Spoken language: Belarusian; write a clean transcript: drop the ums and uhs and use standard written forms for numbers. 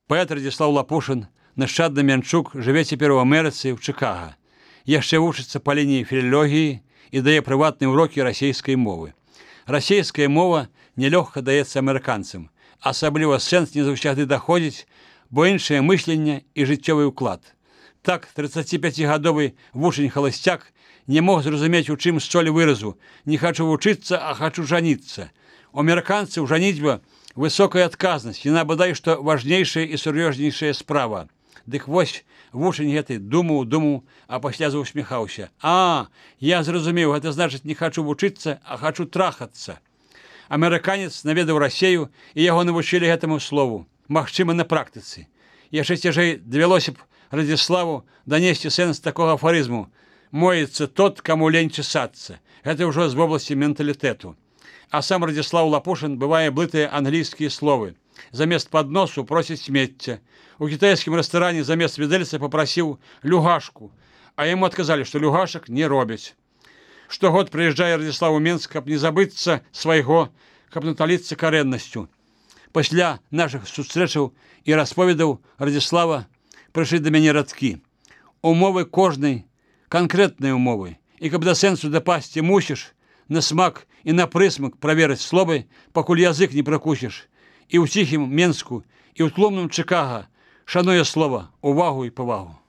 Паэт Радзіслаў Лапушын, нашчадны Мянчук, жыве цяпер у Амерыцы, ў Чыкага. Яшчэ вучыцца па лініі філалогіі і дае прыватныя ўрокі расійскай мовы. Расійская мова нялёгка даецца амерыканцам, асабліва сэнс не заўсягды даходзіць, бо іншае мысленне і жыццёвы ўклад. Так, 35-гадовы вучань-халасцяк не мог зразумець, у чым соль выразу «не хачу вучыцца, а хачу жаніцца». У амерыканцаў жаніцьба высокая адказнасць, яна бадай што важнейшая і сур'ёзнейшая справа. Дык вось вучань гэты думаў, а пасля заусміхаўся. «А, я зразумеў, гэта значыць, не хачу вучыцца, а хачу трахацца». Амерыканец наведаў Расею, і яго навучылі гэтаму слову, магчыма, на практыцы. Яшчэ цяжэй давялося б Радзіславу данесці сэнс такога афарызму «моецца тот, каму лень чесацца». Гэта ўжо з вобласці менталітэту. А сам Радзіслаў Лапушын бывае блытае англійскія словы. Замест падносу просіць смецця. У кітайскім рэстаране замест відэльца папрасіў люгашку, а яму адказалі, што люгашак не робяць. Штогод прыязджае Радзіслаў у Менск, каб не забыцца свайго, каб наталіцца карэннасцю. Пасля нашых сустрэчаў і расповедаў Радзіслава прыйшлі да мяне радкі. Умовы кожнай, канкрэтныя умовы. І каб да сэнсу дапасці мусіш, на смак і на прысмак праверыць словы, пакуль язык не пракусіш. І ў ціхім Менску, і ў тлумным Чыкага шануе слова, увагу і павагу.